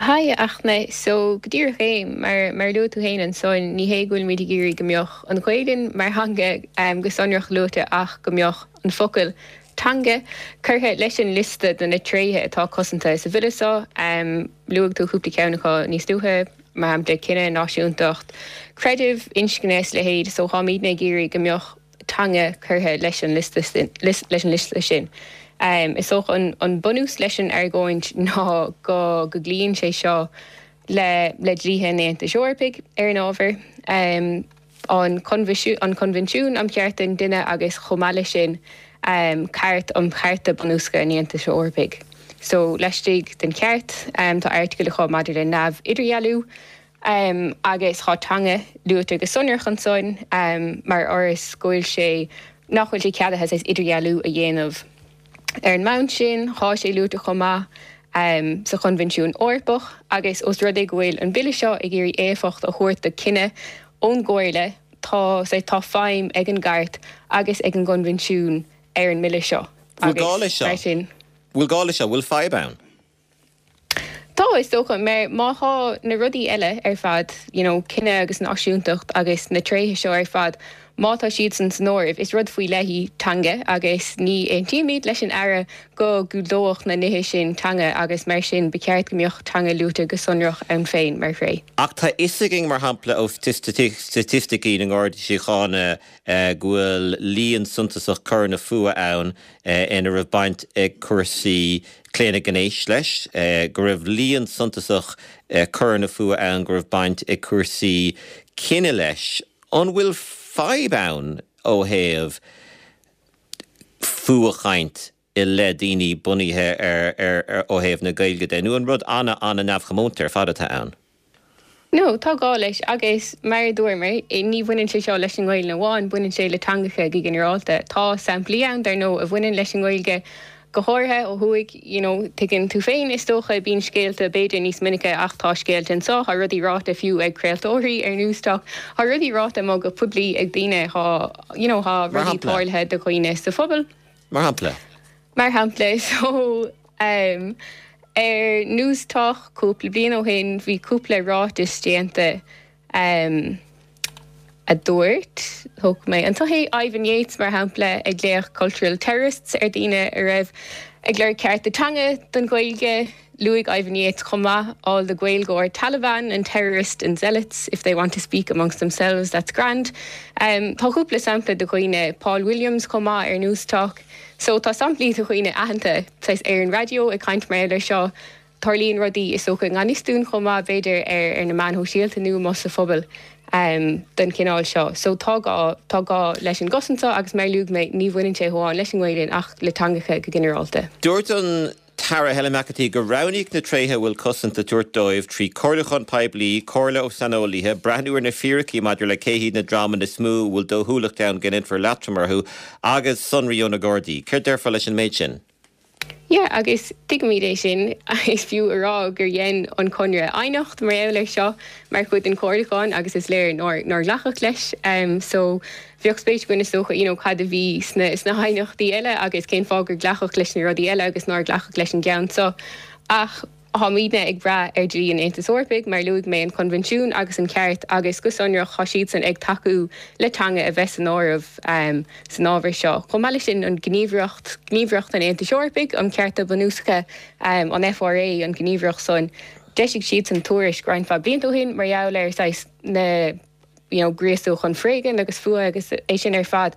Haigh, a Fhachtna. So, go díreach é, mar mar a luaigh tú féin ansan, ní hé go bhfuilimid ag iarraidh go mbeadh an Ghaelainn mar theanga go sonrach luaite ach go mbeadh an focal teanga curtha leis an liosta de na tréithe atá cosanta sa bhille seo. Luaigh tú cúpla ceann acu níos luaithe. mar shampla, cine, náisiúntacht, creideamh, inscne is a leithéid, so táimidne ag iarraidh go mbeadh teanga curtha leis an liosta leis an liosta sin. Is dócha an an bunús leis an argóint ná go go gcloíonn sé seo le le dlíthe an Aontais Eorpaigh ar an ábhar. an Coinbhinsiún um Chearta an Duine agus chomh maith leis sin Cairt um Chearta Bunúsacha an Aontais Eorpaigh. So laistigh den Chairt tá airteagail acu maidir le neamh-idirdhealú agus tá teanga luaite go sonrach ansan mar fhoras go bhfuil sé, nach bhfuil sé ceadaithe saghas idirdhealú a dhéanamh. Ar an mbonn sin, tá sé luaite chomh maith sa Choinbhinsiún Eorpach agus ós rud é go bhfuil an Bille seo ag iarraidh éifeacht a thabhairt do chinneadh ón gComhairle, tá tá feidhm ag an gCairt agus ag an gCoinbhinsiún ar an mBille seo Bhfuil gá leis seo? Bhfuil gá leis seo? Bhfuil fadhb ann? Tá, is dócha, mar má thá na rudaí eile ar fad, you know, cine agus náisiúntacht agus na tréithe seo ar fad, má tá siadsan san áireamh, is rud faoi leith í teanga agus ní aontaímid leis an Aire go gclúdódh na nithe sin teanga agus mar sin ba cheart go mbeadh teanga luaite go sonrach ann féin mar thréith. Ach tá fhios againn, mar shampla, ó staitisticí na nGardaí Síochána go bhfuil líon suntasach coireanna fuatha ann ina raibh baint ag cúrsaí claonadh gnéis leis, go raibh líon suntasach coireanna fuatha ann go raibh baint ag cúrsaí cine leis. An bhfuil fadhb ann ó thaobh fuathchaint i leith daoine bunaithe ar ó thaobh na Gaeilge de, nó an rud an-an-neamhchomónta ar fad atá ann? No, tá gá leis agus mar a dúramar, ní bhaineann sé seo leis an nGaelainn amháin, baineann sé le teangacha go ginearálta. Tá samplaí ann, dar ndóigh, a bhaineann leis an nGaeilge, go háirithe ó thuaidh, you know, tuigeann tú féin, is dócha, bíonn scéalta b'fhéidir níos minice ach tá scéalta anseo, tá rudaí ráite fiú ag craoltóirí ar Newstalk, tá rudaí ráite amuigh go poiblí ag daoine, tá, you know, tá Mar rudaí shampla? tarlaithe do dhaoine sa phobal. Mar shampla? Mar shampla, so, em, ar Newstalk cúpla bliain ó shin bhí cúpla ráiteas déanta, em, a dúirt, thóg mé anseo é, Ivan Yates mar shampla ag glaoch cultural terrorists ar daoine a raibh ag lorg cearta teanga don Ghaeilge. Luaigh Ivan Yates chomh maith all the Gaeilgeoir Taliban and terrorist and zealots if they want to speak amongst themselves that's grand. Tá cúpla sampla de dhaoine, Paul Williams chomh maith ar Newstalk. So tá samplaí de dhaoine aitheanta saghas ar an raidió ag caint mar gheall air seo. Tarlaíonn rudaí is dócha i ngan fhios dúinn chomh maith b'fhéidir ar ar na meáin shóisialta nó amuigh sa phobal den chineál seo. So tá gá, tá gá leis an gcosaint seo agus mar a luaigh mé ní bhaineann sé amháin leis an nGaelainn ach le teangacha go ginearálta. Dúirt an tAire Helen McEntee gur roghnaíodh na tréithe a bhfuil cosaint le tabhairt dóibh trí chomhairliúchán poiblí, comhairle ó saineolaithe, breathnú ar na fíricí maidir le cé hiad na dreamanna is mó a bhfuil dóchúlacht ann go ndéanfar leatrom orthu agus sonraí ó na Gardaí. Céard déarfá leis an méid sin? Yeah, agus tuigimid é sin. Is fiú a rá gur dhein an Conradh aighneacht mar gheall air seo mar chuid den chomhairliúchán agus is léir nár nár glacadh leis. So bheadh spéis againn is dócha you know cad a bhí sna sna haighneachtaí eile agus cén fáth gur glacadh leis na rudaí eile agus nár glacadh leis an gceann seo. Ach táimidne ag brath ar dhlí an Aontais Eorpaigh, mar a luaigh mé, an Coinbhinsiún agus an Chairt agus go sonrach tá siadsan ag tacú le teanga a bheith san áireamh san ábhar seo. Chomh maith leis sin, an Ghníomhaireacht, Gníomhaireacht an Aontais Eorpaigh um Chearta Bunúsacha, an FRA, an ghníomhaireacht san, d'eisigh siadsan tuairisc roinnt mhaith blianta ó shin mar gheall ar saghas na you know gríosú chun foréigin agus fuath agus é sin ar fad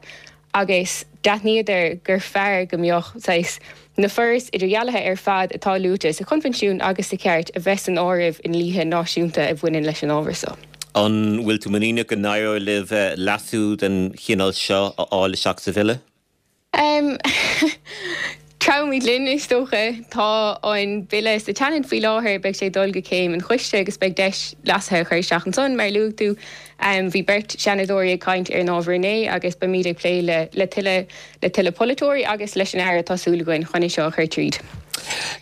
agus d'aithníodar gur fearr go mbeadh saghas na forais idirdhealaithe ar fad atá luaite sa Choinbhinsiún agus sa Chairt a bheith san áireamh i ndlíthe náisiúnta a bhaineann leis an ábhar so. An bhfuil tú muiníneach go n-éireoidh libh leasú den chineál seo a fháil isteach sa bhille? Treabhfaimid linn, is dócha. Tá an Bille sa tSeanad faoi láthair, beidh sé ag dul go céim an choiste agus beidh deis leasuithe a chur isteach ansan, mar a luaigh tú. Bhí beirt Seanadóirí ag caint ar an ábhar inné agus beimid ag plé le le tuilleadh le tuilleadh polaiteoirí agus leis an Aire, tá súil againn, chun é seo a chur tríd.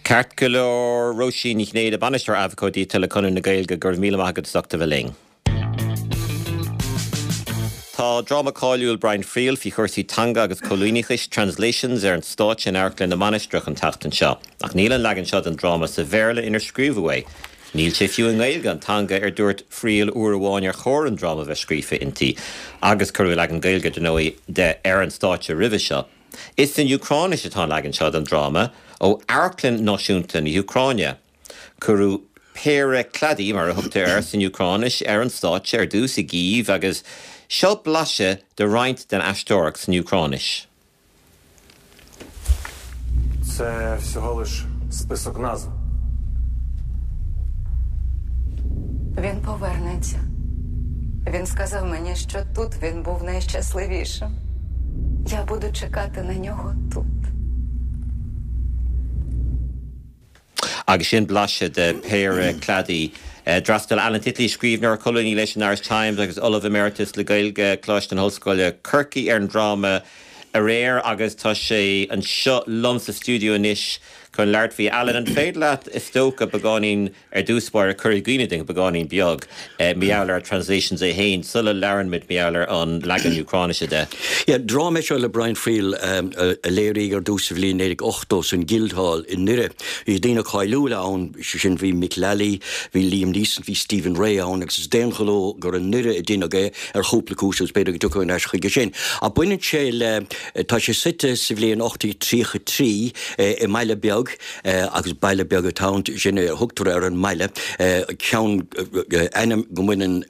Ceart go leor, Róisín Ní Chinnéide, Bainisteoir Abhcóideachta le Conradh na Gaeilge, go raibh míle maith agat as ucht a bheith linn. Tá dráma cáiliúil Brian Friel faoi chúrsaí teanga agus coilíneachais, Translations, ar an stáitse in Amharclann na Mainistreach an tseachtain seo. Ach níl an leagan seo den dráma sa Bhéarla inar scríobhadh é. Níl sé fiú i nGaeilge, an teanga ar dúirt Friel uair amháin ar chóir an dráma bheith scríofa inti. Agus cuireadh leagan Gaeilge, dar ndóigh, de ar an stáitse roimhe seo. Is san Úcráinis atá an leagan seo den dráma, ó Amharclann Náisiúnta na hÚcráine. Cuireadh Pereklady, mar a thugtar air san Úcráinis, ar an stáitse ar dtús i gCív agus seo blaiseadh de roinnt den aisteoireacht san Úcráinis. Це всього лиш список назв. Він повернеться. Він сказав мені, що тут він був найщасливішим. Я буду чекати на нього тут. Agus sin blaiseadh de Pereklady. D'fhreastail Alan Titley, scríbhneoir, colúnaí leis an Irish Times agus Ollamh Emeritus le Gaeilge, Coláiste na hOllscoile, Corcaigh, ar an dráma aréir agus tá sé anseo liom sa stiúideo anois chun labhairt faoi. Alan, an féidir leat, is dócha, beagáinín Ar dtús báire, cur i gcuimhne dúinn beagáinín beag mar gheall ar Translations é féin sula labhrann muid mar gheall ar an leagan Úcráinise de. Yeah, dráma é seo le Brian Friel a léiríodh ar dtús sa bhliain 1980 san Guildhall i nDoire. Bhí daoine cáiliúla ann, sé sin bhí Mick Lally, bhí Liam Neeson, bhí Stephen Rea ann agus is d'aon ghnó gur i nDoire a deineadh é ar chúpla cúis agus b'fhéidir go dtiocfaidh ar ais chuige sin. Ach baineann sé le, tá sé suite sa bhliain 1833 i mbaile beag, agus baile beag atá ann, sin a thugtar ar an mbaile, ceann, ainm go mbaineann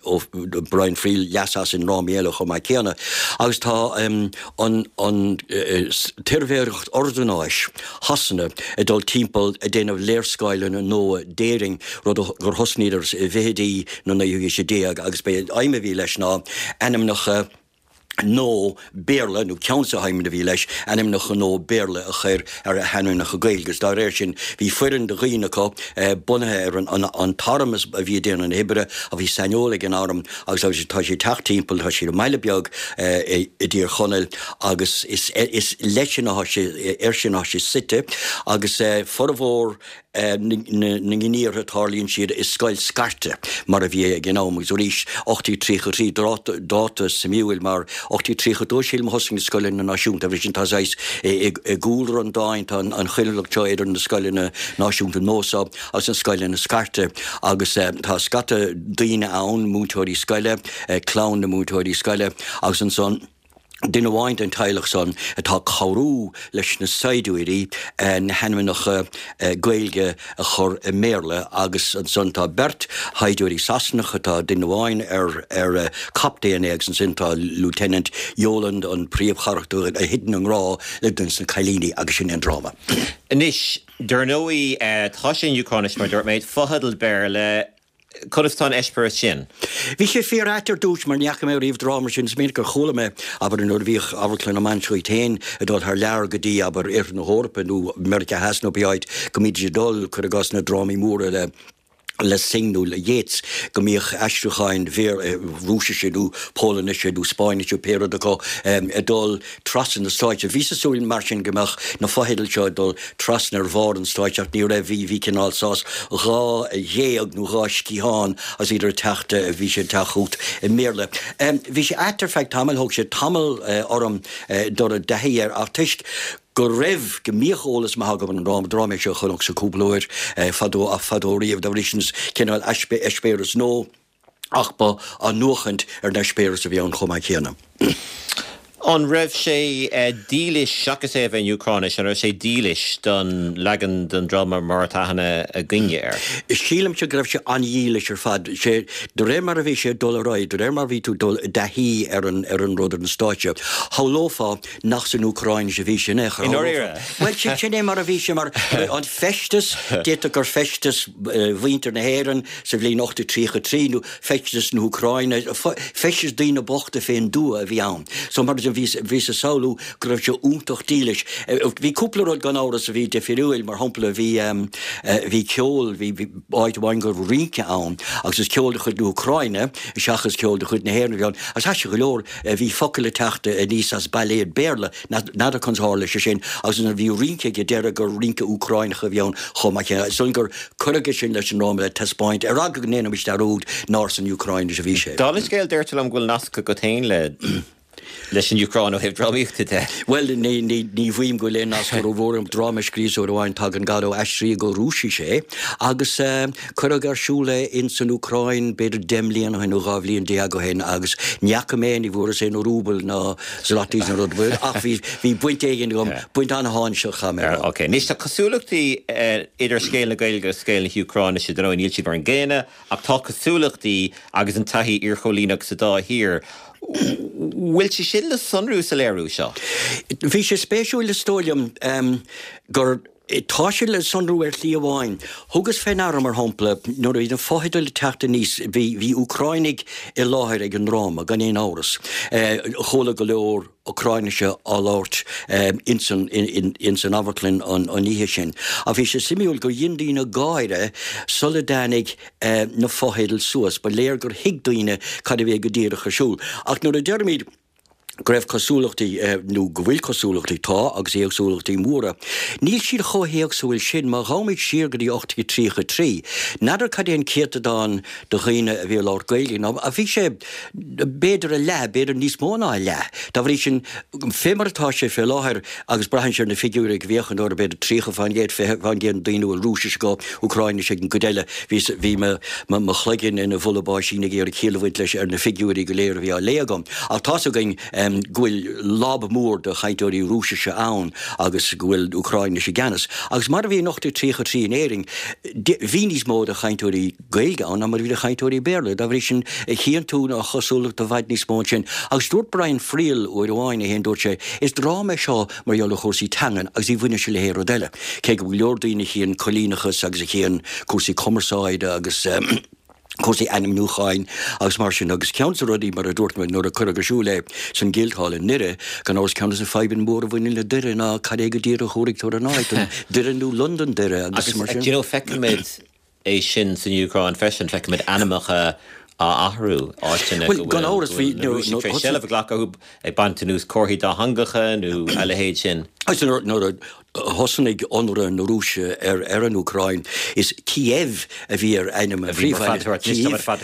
Brian Friel leas as i ndrámaí eile chomh maith céanna. Agus tá an, an tSuirbhéireacht Ordanáis Shasana ag dul timpeall ag déanamh léarscáileanna nua d'Éirinn, rud gur thosnaíodar i bhfichidí na naoú haoise déag agus b'é an aidhm a bhí leis ná ainmneacha. Gnó Béarla, nó ceann de na haidhmeanna a bhí leis, ainmneacha gnó Béarla a chur ar a hainmneacha Gaeilge, agus dá réir sin bhí foireann de dhaoine acu bunaithe ar an t-arm a bhí ag déanamh na hoibre, a bhí saineolaithe ag an arm agus tá siad ag teacht timpeall, tá siad i mbaile beag i dTír Chonaill agus is leis sin atá sé, air sin atá sé suite agus formhór na ngníomhartha tarlaíonn siad i scoil scairte mar a bhí ag an am agus arís 1833 dáta suimiúil mar 1832 sílim a thosaigh na scoileanna náisiúnta agus sin tá saghas i gcúlra an dáin tá an choinbhleacht seo idir na scoileanna náisiúnta nua seo agus na scoileanna scairte agus tá scata daoine ann múinteoirí scoile clann na múinteoirí scoile agus ansan duine amháin den teaghlach san atá ag cabhrú leis na saighdiúirí na hainmneacha Gaeilge a chur i mBéarla agus ansan tá beirt shaighdiúirí Sasanacha, tá duine amháin ar ar captaen é agus ansin tá Lieutenant Yeoland, an príomhcharachtar a thiteann i ngrá le duine de na cailíní agus sin é an dráma. Anois, dar ndóigh, tá sé in Úcráinis, mar a dúirt mé, fotheidil Béarla, Conas tá an eispéireas sin? Bhí sé fíor-ait ar dtús mar ní fhaca mé riamh dráma mar sin. Is minic gur chuala mé, abair, nuair a bhíodh Amharclann na Mainistreach iad féin ag dul thar lear go dtí, abair, Oirthear na hEorpa nó Meiriceá Theas nó pé áit, go mbídís ag dul, cuir i gcás, na drámaí móra le le Synge nó le Yeats, go mbíodh aistriúcháin Rúisise nó Pólainnise nó Spáinnise nó pé rud acu ag dul trasna na stáitse. Bhíos ag súil mar sin go mbeadh na fotheidil seo ag dul trasna ar bharr an stáitse ach ní raibh, bhí, bhí cineál saghas dhá ghéag nó dhá sciathán agus iad ag teacht, bhí siad ag teacht chugat i mBéarla. Bhí sé ait ar feadh tamaill, thóg sé tamall orm dul i dtaithí air ach toisc go raibh, go mbíodh eolas maith agam ar an dráma, dráma é seo a chonacsa cúpla uair fadó, fadó riamh, dá bhrí sin is cineál eispéireas nua. Ach ba athnuachaint ar an eispéireas a bhí ann chomh maith céanna. An raibh sé dílis, seachas é a bheith in Úcráinis, an raibh sé dílis don leagan den dráma mar atá aithne againne air? Sílimse go raibh sé an-dhílis ar fad. Sé, de réir mar a bhí sé ag dul ar aghaidh, de réir mar a bhí tú ag dul i dtaithí ar an, ar an rud ar an stáitse, shamhlófá nach san Úcráinis a bhí sé in aon chor. I ndáiríre? Bhuel, sin, sin é mar a bhí sé, mar an feisteas, d'fhéadfadh gur feisteas mhuintir na hÉireann, Sa bhliain 1833, nó feisteas na hÚcráine, feisteas daoine bochta fén dtuath a bhí ann. So mar sin, bhíos ag samhlú go raibh sé iontach dílis. Bhí cúpla rud gan amhras a bhí difiriúil, mar shampla bhí, bhí ceol, bhí áit amháin go raibh rince ann agus is ceol de chuid na hÚcráine seachas ceol de chuid na hÉireann a bhí ann. Agus aisteach go leor, bhí focail ag teacht aníos as bailéad Béarla. N'fheadar conas a tharla sé sin agus nuair a bhí rince ag an deireadh gur rince Úcráineach a bhí ann chomh maith céanna. Is dóigh liom gur cuireadh é sin leis an ndráma le taispeáint ar eagla go ndéanfaimis dearúd nár san Úcráinis a bhí sé. Dála an scéil, deirtear liom go bhfuil nasc agat féin le leis an Úcráin ó thaobh drámaíochta de. Bhuel, ní, ní, ní mhaím go bhfuil aon nasc rómhór agam. Dráma a scríobhas uair amháin, Tagann Godot, aistríodh go Rúisis é agus cuireadh ar siúl é ins an Úcráin b'fhéidir 10 mbliana ó shin nó 12 bhliain ó shin agus ní fhaca mé, ní bhfuaireas aon rúbal ná zlotys nó rud ar bith, ach bhí, bhí baint éigin agam, baint an-tháinseach, chaith mé a rá. Ok, anois tá cosúlachtaí idir scéal na Gaeilge agus scéal na hÚcráinise, dar ndóigh níl siad mar an gcéanna, ach tá cosúlachtaí agus an taithí iarchoilíneach sa dá thír. Bhfuil sé sin le sonrú sa léiriú seo? Bhí sé spéisiúil is dóigh liom gur, Tá sé le sonrú ar shlí amháin. Thugas fé ndeara, mar shampla, nuair a bhí na fotheidil ag teacht aníos, bhí, bhí Úcráinigh i láthair ag an ndráma, gan aon amhras. Chuala go leor Úcráinise á labhairt ins an, ins an amharclann an oíche sin. Ach bhí sé suimiúil gur dhein daoine gáire sula dtáinig na fotheidil suas. Ba léir gur thuig daoine cad a bhí go díreach ar siúl. Ach nuair a deirimid, go raibh cosúlachtaí, nó go bhfuil cosúlachtaí, tá, agus éagsúlachtaí móra. Níl siad chomh héagsúil sin. Má ghabhaimid siar go dtí 1833, n'fheadar cad é an céatadán de dhaoine a bhí ag labhairt Gaeilge, nó bhí sé b'fhéidir a leath, b'fhéidir níos mó ná a leath. Dá bhrí sin, fé mar atá sé fé láthair, agus braitheann sé ar na figiúirí go bhféachann tú orthu, b'fhéidir 30%, 20% de dhaoine a bhfuil Rúisis acu, Úcráinis ag an gcuid eile, bhí, bhí mo, mo chloigeann ina bhulla báisín ag iarraidh ciall a bhaint leis ar na figiúirí go léir a bhí á léamh agam. Ach tá's againn go bhfuil lob mór de chainteoirí Rúisise ann agus go bhfuil Úcráinis i gceannas. Agus mar a bhí in 1833 in Éirinn, bhí níos mó de chainteoirí Gaeilge ann ná mar a bhí de chainteoirí Béarla. Dá bhrí sin, chíonn tú an chosúlacht i bhfad níos mó ansin. Agus dúirt Brian Friel uair amháin é féin, dúirt sé, is dráma é seo mar gheall ar chúrsaí teangan agus ní bhaineann sé le haon rud eile. Cé go bhfuil go leor daoine a chíonn coilíneachas agus a chíonn cúrsaí cumarsáide agus. Cúrsaí ainmniúcháin agus mar sin agus ceann de na rudaí, mar a dúirt mé, nuair a cuireadh ar siúl é san Guildhall i nDoire, gan amhras ceann de na fadhbanna móra a bhaineann le Doire ná cad é go díreach a thabharfaidh tú ar an áit, an Doire nó Londonderry agus mar sin. Agus, do you know, feicimid é sin san Úcráin freisin, feicimid ainmneacha á athrú, áiteanna go bhfuil na Rúisigh tar éis seilbh a ghlacadh orthu, ag baint anuas comharthaí dátheangacha nó a leithéid sin. Agus nuair a thosnaigh ionradh na Rúise ar ar an Úcráin, is Kiev a bhí ar ainm an phríomhbhaile, Kyiv atá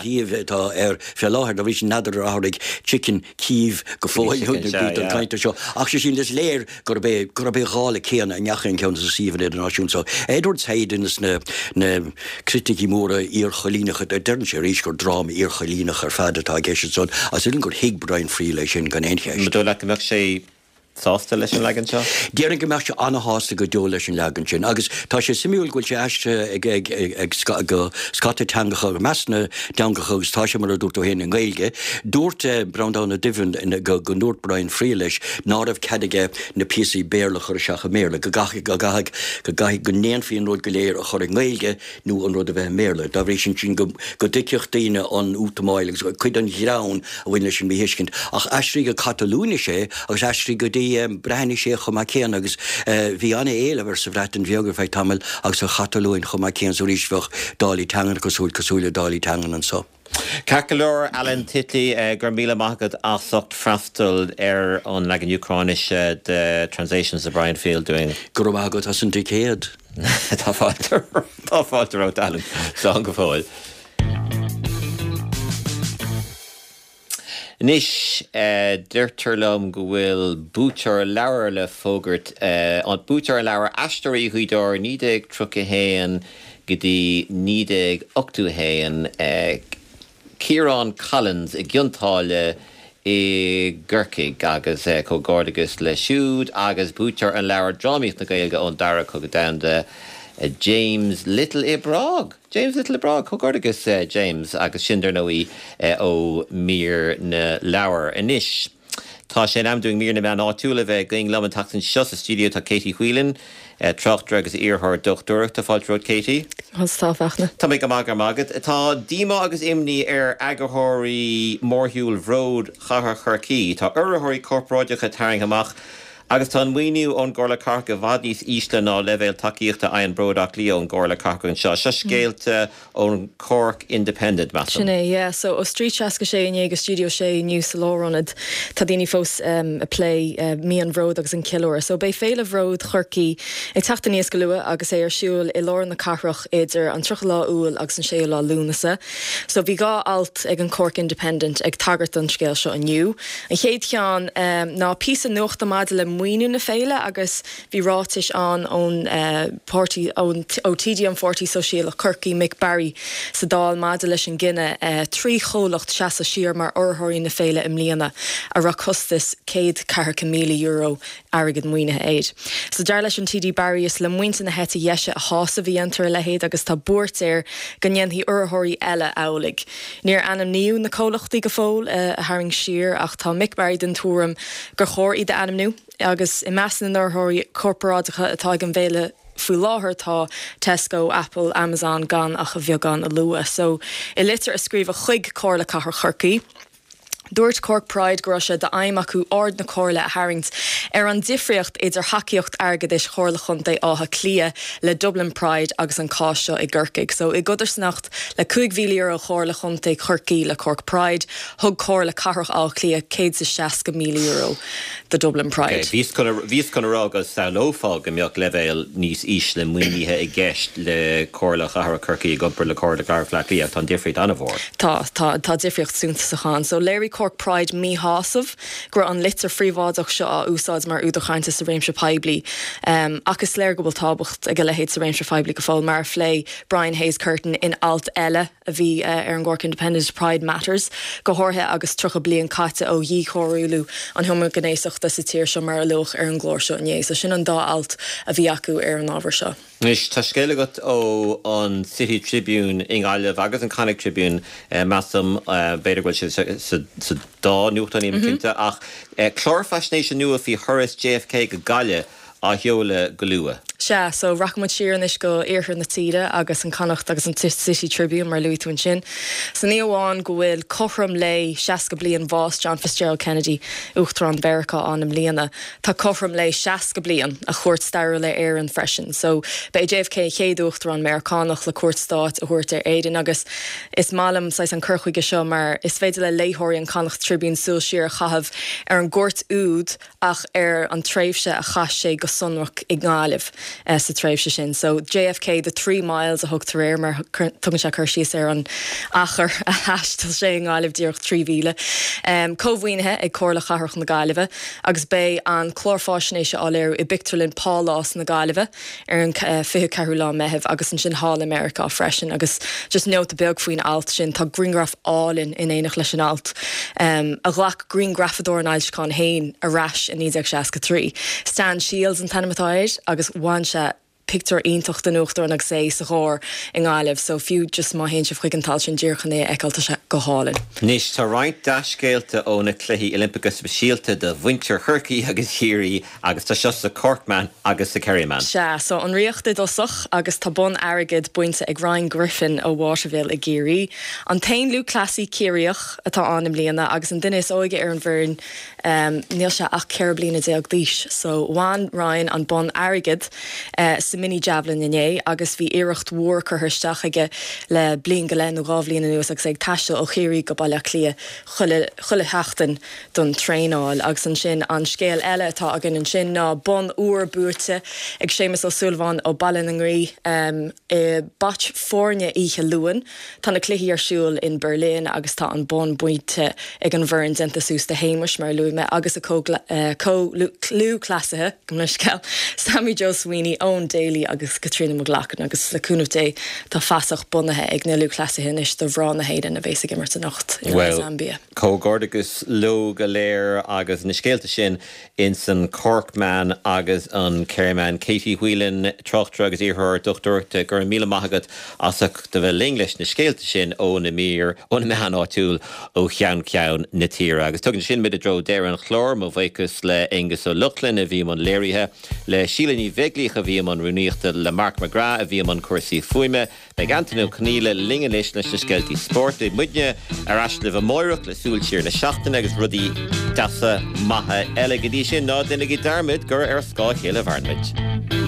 Kyiv atá air fé láthair, dá bhrí sin n'fheadar ar athraigh Chicken Kyiv go fóill don chaint seo. Ach sé sin, is léir gurb é gurb é dhála céanna a ndeachaigh an ceann sa suíomhanna idirnáisiúnta so. Edward Said duine des na na criticí móra iarchoilíneacha, deireann sé arís gur dráma iarchoilíneach ar fad atá i gceist ansan, agus is dóigh liom gur thuig Brian Friel é sin gan aon cheist. An dóigh leat go mbeadh sé sásta leis an leagan seo? Déarfainn go mbeadh sé an-shásta go deo leis an leagan sin agus tá sé suimiúil go bhfuil sé aistrithe ag ag ag go scata teangacha, i measc na dteangacha agus tá sé mar a dúirt tú féin i nGaeilge. Dúirt Breandán Ó Doibhlin go go ndúirt Brian Friel leis ná raibh cead aige na píosaí Béarla a chur isteach i mBéarla, go gcaithfidh go gcaithfidh go gcaithfidh go ndéanfaí an rud go léir a chur i nGaeilge nó an rud a bheith i mBéarla. Dá bhrí sin, sin go dtuigfeadh daoine an útamáil agus cuid den ghreann a bhain leis an míthuiscint. Ach aistríodh go Catalúinis é agus aistríodh go dtí Breatnais é chomh maith céanna agus bhí an-éileamh air sa Bhreatain Bheag ar feadh tamaill agus sa Chatalóin chomh maith céanna so arís bheadh dálaí teangan cosúil cosúil le dálaí teangan anso. Ceart go leor, Alan Titley, go raibh míle maith agat as ucht freastal ar an leagan Úcráinise de Translations of Brian Friel dúinn. Go raibh maith agat as an dticéad. Tá fáilte tá fáilte romhat Alan. Slán go fóill. Anois, deirtear liom go bhfuil buaiteoir leabhair le fógairt, buaiteoir an leabhair Aisteoirí Ghaoth Dobhair 1931 go dtí 1981, Ciarán Collins i gCionn tSáile i gCorcaigh agus comhghairdeachas leis siúd agus buaiteoir an leabhair Drámaíocht na Gaeilge ón Dara Cogadh Domhanda, James Little i bPrág. James Little i bPrág, comhghairdeachas James agus sin dar ndóigh ó Mír na Leabhar. Anois tá sé in am dúinn Mír na Meán Áitiúil a bheith againn. Liom an tseachtain seo sa stiúideo tá Katie Whelan, tráchtaire agus iarrthóir dochtúireachta. Fáilte romhat Katie. Conas tá, a Fhachtna? Tá mé go maith, go raibh maith agat. Tá díomá agus imní ar eagarthóirí Mhórshiúl Bhród Chathair Chorcaí. Tá urraitheoirí corparáideacha tarraingthe amach Agus tá an maoiniú ón gComhairle Cathrach i bhfad níos ísle ná leibhéal tacaíochta a fhaigheann Bród Átha Cliath ón gComhairle Cathrach anseo. Seo scéalta ón Cork Independent, measaim. Sin é, yeah. So ó Street 66 inné go Studio 6 inniu sa Lárionad, tá daoine fós ag plé mí an Bhróid agus an ceiliúradh. So beidh Féile Bhród Chorcaí ag teacht aníos go luath agus é ar siúl i lár na cathrach idir an 30 lá Iúil agus an 6ú lá Lúnasa. So bhí 2 alt ag an Cork Independent ag tagairt don scéal seo inniu. An chéad cheann ná píosa nuachta maidir le maoiniú na féile agus bhí ráitis ann ón páirtí, ó TD an Pháirtí Sóisialach Chorcaí, Mick Barry sa Dáil maidir leis an gcinneadh 3 chomhlacht seasamh siar mar urraitheoirí na féile i mbliana a raibh costas €140,000 airgead maoinithe air. So dar leis an TD Barry is le muintir na heite dheise a shásamh a dhéantar a leithéid agus tá buairt air go ndéanfaidh urraitheoirí eile amhlaidh. Níor ainmníodh na comhlachtaí go fóill a tharraing siar ach tá Mick Barry den tuairim gur chóir iad a ainmniú agus i measc na n-urraitheoirí corparáideacha atá ag an bhféile faoi láthair tá Tesco, Apple, Amazon gan ach a bheagán a lua. So i litir a scríobhadh chuig Comhairle Cathrach Chorcaí, Dúirt Cork Pride go raibh sé d'aidhm acu aird na Comhairle a tharraingt ar an difríocht idir thacaíocht airgeadais Chomhairle Chontae Átha Cliath le Dublin Pride agus an cás seo i gCorcaigh. So, i gcodarsnacht le €5,000 Chomhairle Chontae Chorcaí le Cork Pride, thug Comhairle Cathrach Átha Cliath €160,000 do Dublin Pride. Bhíos chun a rá go samhlófá go mbeadh leibhéal níos ísle maoinithe i gceist le Comhairle Chathrach Chorcaí i gcomparáid le Comhairle Cathrach Bhaile Átha Cliath ach tá an difríocht an-mhór. Tá, tá, tá difríocht suntasach ann. So, léirigh Cork Pride míshásamh go raibh an litir phríobháideach seo á úsáid mar údar cainte sa réimse poiblí. Ach is léir go bhfuil tábhacht ag a leithéid sa réimse phoiblí go fóill, mar a phléigh Brian Hayes Curtin in alt eile a bhí ar an gCork Independent, Pride Matters, go háirithe agus 30 bliain caite ó dhíchoiriúlú an homaighnéasachta sa tír seo mar a luadh ar an gclár seo inné. So sin an dá alt a bhí acu ar an ábhar seo. Anois, tá scéal agat ó an City Tribune i nGaillimh agus an Connacht Tribune, measaim, b'fhéidir go bhfuil sé sa dá nuachtán, nílim cinnte, ach clár faisnéise nua faoi thuras JFK go Gaillimh á sheoladh go luath. Sea, so rachaidh muid siar anois go iarthar na tíre agus an Connacht agus an City Tribune mar a luaigh tú ansin. So ní amháin go bhfuil cothrom lae 60 bliain bhás John Fitzgerald Kennedy, Uachtarán Mheiriceá ann i mbliana, tá cothrom lae 60 bliain a chuairt stairiúil ar Éirinn freisin. So ba é JFK an chéad Uachtarán Meiriceánach le cuairt stáit a thabhairt ar Éirinn agus is maith liom saghas an cur chuige seo mar is féidir le léitheoirí an Connacht Tribune súil siar a chaitheamh ar an gcuairt úd ach ar an tréimhse a chaith sé go sonrach i nGaillimh sa tréimhse sin. So JFK the 3 miles a thugtar air mar tugann sé cur síos ar an achar a thaistil sé i nGaillimh, díreach 3 mhíle. Cómhaoinithe ag Comhairle Chathrach na Gaillimhe agus beidh an clár fáisnéise á léiriú i bPictiúrlann Pálás na Gaillimhe. ar an 24ú lá Meitheamh agus ansin thall i Meiriceá freisin agus just nóta beag faoin alt sin, tá grianghraf álainn in éineacht leis an alt a ghlac grianghrafadóir an fhoilseacháin féin ar ais i 1963. Stan Shields an t-ainm atá air agus bhain sé pictiúr iontach den Uachtarán agus é sa charr i nGaillimh so fiú just má théann sibh chuig an t-alt sin díreach chun é a fheiceáil tá sé go hálainn. Anois tá roinnt dea-scéalta ó na Cluichí Oilimpeacha Speisialta do mhuintir Chorcaí agus Chiarraí Agus tá seo sa Corkman agus sa Kerryman. Sea, so an Ríocht i dtosach agus tá bonn airgid bainte ag Ryan Griffin ó Waterville i gCiarraí. An t-aon lúthchleasaí Ciarraíoch atá ann i mbliana agus an duine is óige ar an bhfoireann, níl sé ach 14 bliana d'aois. So bhain Ryan an bonn airgid sa mini javelin inné agus bhí iarracht mhór curtha isteach aige le bliain go leith nó dhá bhliain anuas agus é ag taisteal ó Chiarraí go Baile Átha Cliath chuile, chuile sheachtain. don traenáil. Agus ansin an scéal eile atá againn ansin ná bonn óir buaite ag Séamus Ó Súilleabháin ó Baile na nGaoith i brait foirne oíche Luain. Tá na cluichí ar siúl in Berlin agus tá an bonn bainte ag an bhfoireann déanta suas de Shéamus, mar a luaigh mé, agus a chomh-lúthchleasaithe, gabh mo leithscéal, Sammy Joe Sweeney, Eoin Daly agus Caitríona McLaughlin agus le cúnamh Dé tá fasach bunaithe ag na lúthchleasaithe anois do mhná na hÉireann a bhéas ag imirt anocht in aghaidh Zambia. Comhghairdeachas leo go léir agus na scéalta sin ins an Corkman agus an Kerryman. Katie Whelan, tráchtaire agus iarrthóir dochtúireachta, go raibh míle maith agat as ucht a bheith linn leis na scéalta sin ó na mír, ó na meáin áitiúil ó cheann ceann na tíre. Agus tugann sin muid i dtreo deireadh an chláir. Mo bhuíochas le Aonghus Ó Lochlainn a bhí i mbun léirithe, le Síle Ní Bheaglaoich a bhí i mbun rúnaíochta, le Mark McGrath a bhí i mbun cúrsaí fuaime, Beidh Antain Ó Conghaile linn anois leis na scéaltaí spóirt. Beidh muidne ar ais libh amáireach le súil siar na seachtaine agus rudaí deasa maithe eile. Go dtí sin, ná déanaigí dearmad gur ar scáth a chéile a mhaireann muid.